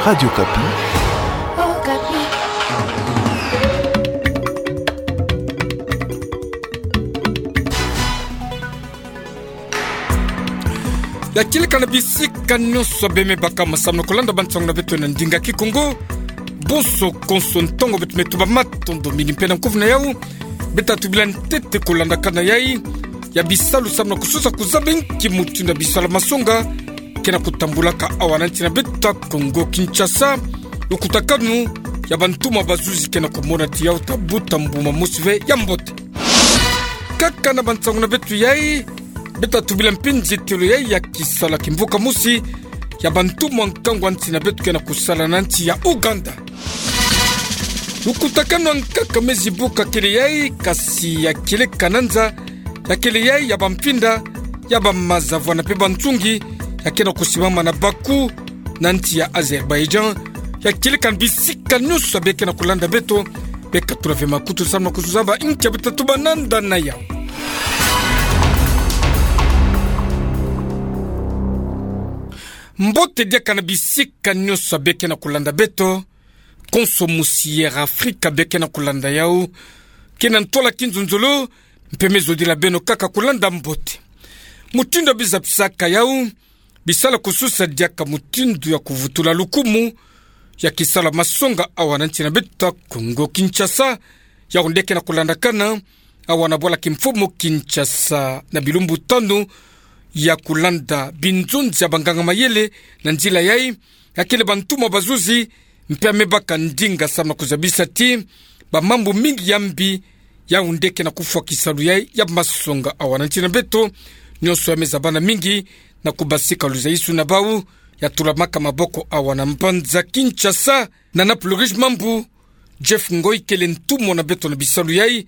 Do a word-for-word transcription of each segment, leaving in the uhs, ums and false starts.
Radio Okapi. Ya kieleka na bisika nyonso beme baka masamna kolanda bansango na beto na ndinga Kikongo. Bonso konso ntango beto me tuba matondo mingi mpe na nkufi na yau. Beto tubila ntete kolandakana yai ya bisalu samna kususa kuzaba nki mutindu ya bisalu ya masonga ke na kutambulaka awa na nsi na beto Kongo Kinshasa. Lukutakanu ya bantumwa bazuzi ke na kumona ti yau ta buta mbuma mosi ve ya mbote. Kaka na bansango na beto yai, beto tubila mpe nzietelo yai ya kisalu ya kimvuka mosi ya bantumwa nkangu ya nsi na beto ke na kusala na nsi ya Ouganda. Lukutakanu ya nkaka me zibuka kele yai, kasi ya kieleka na nza, ya kele yai ya bamfinda, ya bamaza vwanda mpe bansungi, ya ke na kusimama na Bakou, na nsi ya Azerbaïdjan. Ya kieleka na bisika nyonso ya beke na kolanda beto, beka tula ve makutu samna kuzaba nki ya beto ta tuba nanda na yau. Mbote diaka na bisika nyonso ya beke na kolanda beto, konso musi Air Afrika beke na kolanda yau, ke na ntwala kinzonzolo, mpe me zodila beno kaka kolanda mbote. Mutindu ya biza bisaka yau, bisalu kususa diaka mutindu ya kuvutula lukumu ya kisalu ya masonga awa na nsi na beto Kongo Kinshasa, yau nde ke na kulandakana awa na bwala kimfumu Kinshasa na bilumbu tanu ya kulanda binzonzi ya banganga mayele na nzila yai, ya kele bantumwa bazuzi, mpe ya me baka ndinga samna kuzabisa ti bamambu mingi ya mbi, yau nde ke na kufwa kisalu yai ya masonga awa na nsi na beto. Nyonso ya me zabana mingi na kubasika luzayisu na bau, ya tulamaka maboko awa na mbanza Kinshasa. Na Naples Riche Mambu, Jeff Ngoy kele ntumwa na beto na bisalu yai,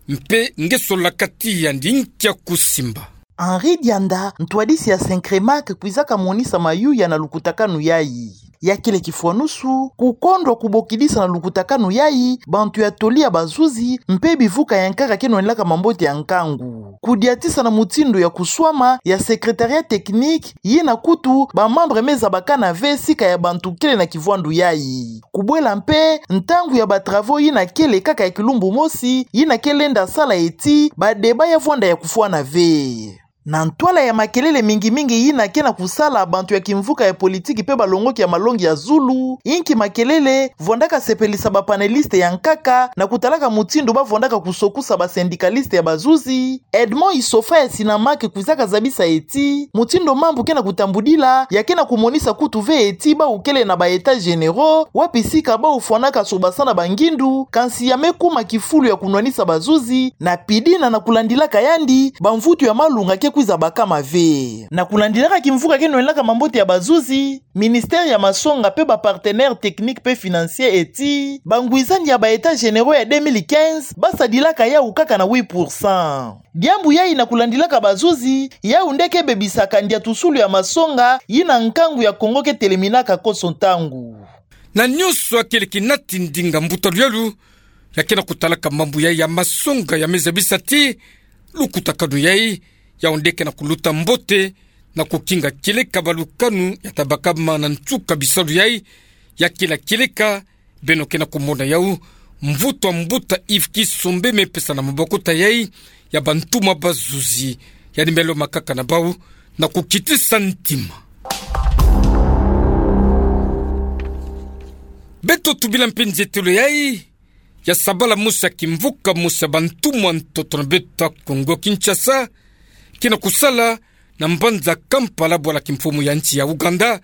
mpe nge solaka ti yandi nki ya kusimba. Henri Dianda, ntwadisi ya Syncremac, kwizaka monisa mayuya na lukutakanu yai. Ya kele kifwanusu, kukondwa kubokidisa na lukutakanu yai bantu ya toli ya bazuzi, mpe bivuka ya nkaka ke nwanilaka mambote ya nkangu. Kudiatisa na mutindu ya kuswama ya secrétariat technique, yina kutu bamembre me zabakana ve sika ya bantu kele na kivwandu yai. Kubwela mpe ntangu ya batravaux yina kele kaka ya kilumbu mosi, yina ke lenda sala eti badébat ya vwanda ya kufwana ve. Na ntwala ya makelele mingi mingi yina ke na kusala bantu ya kimvuka ya politiki mpe balongoki ya malongi ya zulu, inki makelele vwandaka sepelisa bapaneliste ya nkaka na kutalaka mutindu bavwandaka kusokusa basyndicaliste ya bazuzi, Edmond Issoufou ya Synamak kwizaka zabisa eti, mutindu mambu ke na kutambudila, ya ke na kumonisa kutu ve eti bau kele na ba états généraux, wapi sika bau fwanaka sobasana bangindu, kansi ya me kuma kifulu ya kunwanisa bazuzi, na pidina na kulandilaka yandi, bamvutu ya malunga ke kwiza bakama ve. Na kulandilaka kimvuka ke nwanilaka mambote ya bazuzi, ministère ya masonga mpe ba partenaires techniques mpe financiers eti, bangwizani ya ba états généraux ya deux mille quinze, basadilaka yau kaka na huit pour cent. Diambu yai na kulandilaka bazuzi, yau nde ke bebisaka ndiatusulu ya masonga, yina nkangu ya Kongo ke teleminaka konso ntangu. Na nyonso ya kele kinati ndinga mbuta luyalu, ya ke na kutalaka mambu yai ya masonga ya me zabisa ti, lukutakanu yai, yau nde ke na kuluta mbote, na kukinga kieleka balukanu ya ta bakama na nsuka bisalu yai, ya kila kieleka, beno ke na kumona yau, mvutu ya mbuta Yves Kisombe me pesa na maboko ta yai, ya bantumwa bazuzi, yandi me lomba kaka na bau, na kukitisa ntima. Beto tubila mpe nzietelo yai, ya sabala mosi ya kimvuka mosi ya bantumwa ntoto na beto Kongo Kinshasa, ke na kusala na mbanza Kampala bwala kimfumu ya nsi ya Ouganda,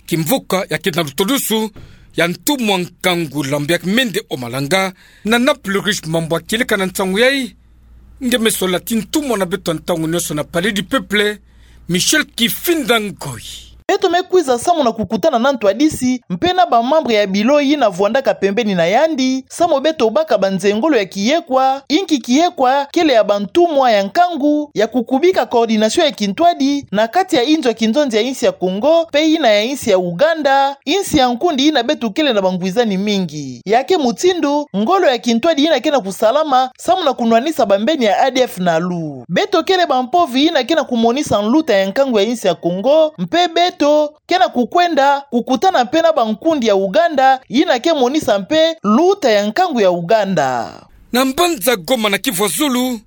kimvuka ya ke na lutulusu ya ntumwa nkangu Lambert Mende Omalanga, na Naples Riche Mambu ya kieleka na nsangu yai, nge me sola ti ntumwa na beto ntangu nyonso na Palais du Peuple, Michel Kifinda Ngoy. Beto me kwiza samu na kukutana na ntwadisi, mpe na bamembre ya bilo yina vwandaka pembeni na yandi, samu beto baka banzengolo ya kiyekwa, inki kiyekwa kele ya bantumwa ya nkangu, ya kukubika coordination ya kintwadi, na kati ya inzo ya kinzonzi ya insi ya Kongo, mpe yina ya insi ya Ouganda, insi ya nkundi yina beto kele na bangwizani mingi. Ya ke mutindu, ngolo ya kintwadi yina ke na kusalama, samu na kunwanisa bambeni ya A D F na lu. Beto kele bampovi yina ke na kumonisa nluta ya nkangu ya insi ya Kongo, mpe beto beto ke na kukwenda kukutana mpe na bankundi ya Uganda, yina ke monisa mpe luta ya nkangu ya Uganda. Na mbanza Goma na Kivu ya Zulu,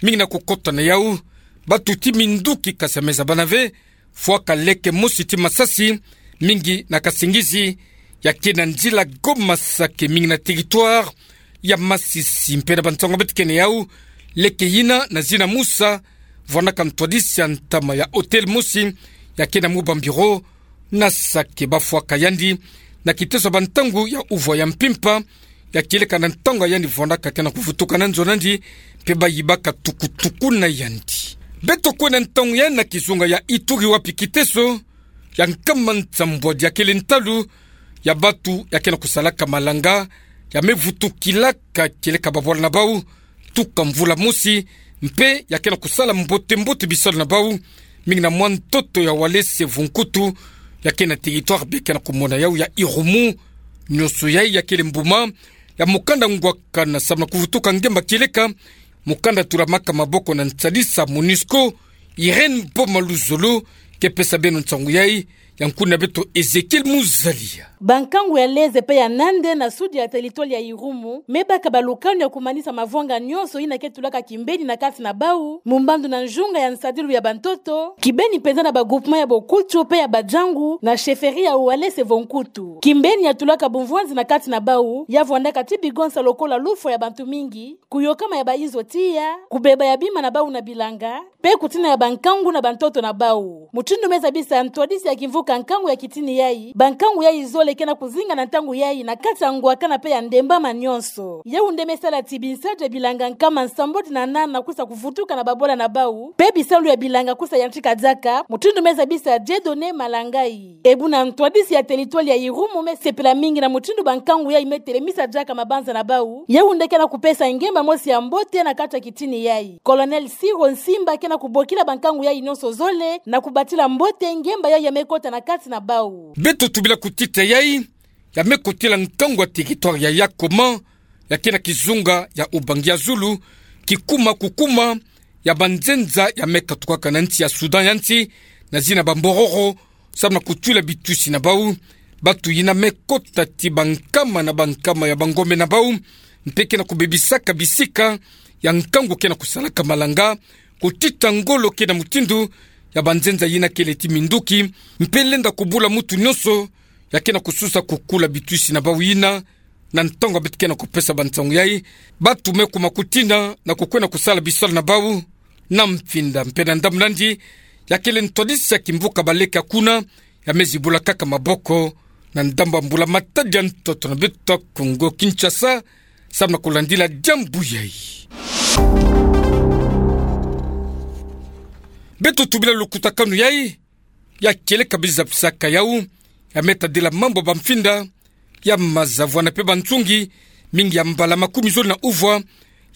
mingi na kukota na yau, batu ti minduki, kasi ya meza bana ve, fwaka leke mosi ti masasi, mingi na kasingizi, ya ke na nzila Goma Sake, mingi na territoire ya Masisi. Mpe na bansango beto ke na yau, leke yina na zina Musa, vwandaka ntwadisi ya ntama ya hôtel mosi, ya ke na mwa ba bureau na Sake, bafwaka yandi na kiteso ya bantangu ya uvwa ya mpimpa, ya kieleka na ntangu ya yandi vwandaka ke na kuvutuka na nzo na yandi, mpe bayibaka tukutuku na yandi. Beto kwenda ntangu ya na kizunga ya Ituri, wapi kiteso ya nkama nsambwadi ya kele ntalu ya batu ya ke na kusalaka malanga, ya me vutukilaka kieleka babwala na bau tuka mvula mosi, mpe ya ke na kusala mbote-mbote bisalu na bau, mingi na mwa ntoto ya Walese Vonkutu, ya ke na territoire beto ke na kumona yau ya Irumu. Nionso yai ya kele mbuma ya mukanda ngwakana samu na kuvutuka ngemba kieleka mukanda tulamaka maboko na nsadisa MONUSCO. Irène Boma Luzolo ke pesa beno nsangu yai, ya nkuna beto Ezekiel Muzalia. Bankangu ya Leze mpe ya Nande na sud ya territoire ya Irumu me baka balukanu ya kumanisa mavanga nionso yina ke tulaka kimbeni na kati na bau, mumbandu na nzunga ya nsadilu ya bantoto, kibeni mpenza na ba groupement ya Bokutu mpe ya Bajangu na chefferie ya Walese Vonkutu. Kimbeni ya tulaka bumvwanzi na kati na bau, ya vwandaka ti bigonsa lokola lufwa ya bantu mingi, kuyokama ya bainzo tiya, kubeba ya bima na bau na bilanga, mpe kutina ya bankangu na bantoto na bau. Mutindu me zabisa ntwadisi ya kimvuka nkangu ya kitini yai, bankangu yai zole ke na kuzinga na ntangu yai na kati ya ngwakana mpe ya ndembama nionso. Yau nde me sala ti binsadi ya bilanga nkama nsambwadi na nana kwisa kuvutuka na babwala na bau, mpe bisalu ya bilanga kwisa yantika diaka, mutindu me zabisa Dieudonné Malangai. E buna ntwadisi ya territoire ya Irumu me sepela mingi na mutindu bankangu yai me telemisa diaka mabanza na bau, yau nde ke na kupesa ngemba mosi ya mbote na kati ya kitini yai. Colonel Siro Nsimba ke na kubokila bankangu yai nionso zole na kubatila mbote ngemba yai ya me kota na kati na bau. Beto tubila kutita yai ya me kotila nkangu ya territoire ya Yakoma, ya ke na kizunga ya Ubangi ya Zulu, kikuma kukuma ya banzenza ya me katukaka na nsi ya Soudan ya nsi, na zina Bambororo, samu na kutula bitwisi na bau. Batu yina me kota ti bankama na bankama ya bangombe na bau, mpe ke na kubebisaka bisika ya nkangu ke na kusalaka malanga, kutita ngolo ke na mutindu ya banzenza yina kele ti minduki, mpe lenda kubula mutu nionso ya ke na kususa kukula bitwisi na bau yina, na ntangu beto ke na kupesa bansangu yai. Batu me kuma kutina na kukwenda kusala bisalu na bau na mfinda. Mpe na ndambu nandi, ya kele ntwadisi ya kimvuka baleka kuna, ya me zibula kaka maboko na ndambu ya mbula matadi ya ntoto na beto Kongo Kinshasa, samu na kulandila diambu yai. Beto tubila lukutakanu yai, ya kieleka biza bisaka yau, ya me tadila mambu ya bamfinda ya maza vwana mpe bansungi, mingi ya mbala makumi zole na uvwa,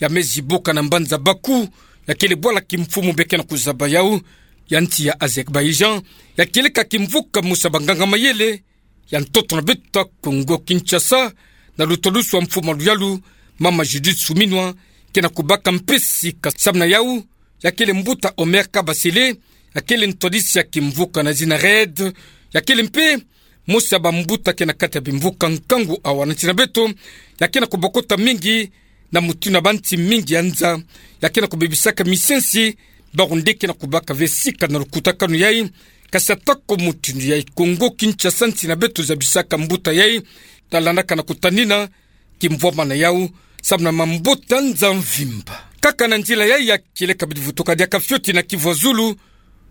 ya me zibuka na mbanza Baku, ya kele bwala kimfumu be ke na kuzaba yau, ya nsi ya Azerbaïdjan, ya kieleka kimvuka mosi ya banganga mayele ya ntoto na beto Kongo Kinshasa, na lutalusu ya mfumu ya luyalu, mama Judith Suminwa, ke na kubaka mpasi ka samu na yau, ya kele mbuta Omer Kabasele, ya kele ntwadisi ya kimvuka na zina RAID, ya kele mpe mosi ya bambuta ke na kati ya bimvuka nkangu awa na nsi na beto, ya ke na kubokota mingi na mutindu ya bansi mingi ya nza, ya ke na kubebisaka misensi, bawu nde ke na kubaka ve sika na lukutakanu yai, kasi atako mutindu yai Kongo Kinshasa nsi na beto zabisaka mbuta yai, talandaka na kutanina kimvwama na yau, samu na mambota nza mvimba. Kaka na nzila yai ya kieleka bidi vutuka diaka fioti na Kivu ya Zulu,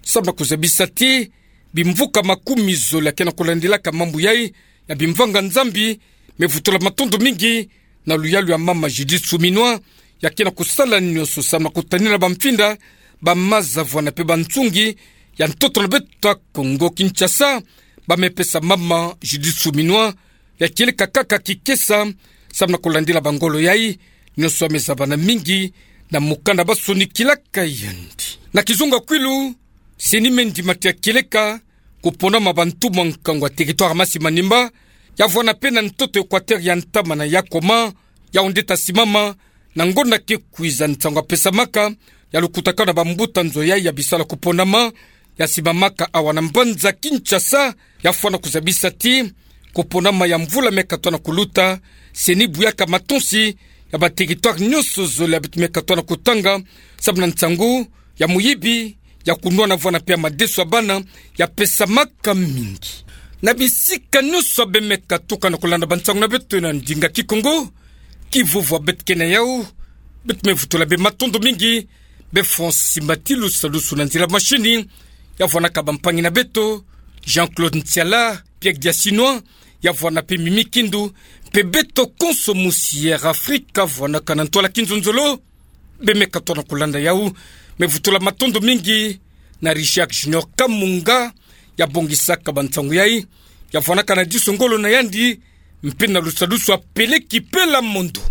samu na kuzabisa ti bimvuka makumi zole ya ke na kulandilaka mambu yai ya bimvanga Nzambi, me vutula matondo mingi na luyalu ya mama Judith Suminwa, ya ke na kusala nionso samu na kutanina bamfinda, bamaza vwana mpe bansungi ya ntoto na beto Kongo Kinshasa, ba me pesa mama Judith Suminwa, ya kieleka kaka kikesa, samu na kulandila bangolo yai, nionso ya me zabana mingi na mukanda ba sonikilaka yandi. Na kizunga Kwilu, CENI me ndima ti ya kieleka kuponama bantumwa nkangu ya territoire Masi Manimba, ya vwana mpe na ntoto Equateur ya ntama na Yakoma, yau nde ta simama na ngonda ke kwiza, nsangu ya pesamaka ya lukutakanu na bambuta nzo yai ya bisalu ya kuponama, ya simbamaka awa na mbanza Kinshasa, ya fwana kuzabisa ti, koponama ya mvula me katwa na kuluta, seni buyaka matonsi ya ba territoire nyonso zole ya beto me katwa na kutanga, sababu na nsangu ya moyibi, ya kunwana vwena pe ya madeso ya bana, ya pesamaka mingi. Na bisika nyonso ya be me katuka na kulanda bansangu na beto na ndinga Kikongo, ki vova beto ke na yau, beto me vutula be matondo mingi, be Francis Mbatilu salusu na nzila mashini, ya vwanaka bampangi na beto, Jean-Claude Ntiala, Pierre Diasinois, ya vwana pe Mimi Kindu, pe beto konso musi Air Africa, vwanaka na ntwala kinzonzolo, be me katwa na kulanda yau, me vutula matondo mingi, na Richard Junior Kamunga, ya bongisaka bansangu yai, ya vwanaka na diso ngolo na yandi, mpe na lusalusu ya Peleki Pela Mondo.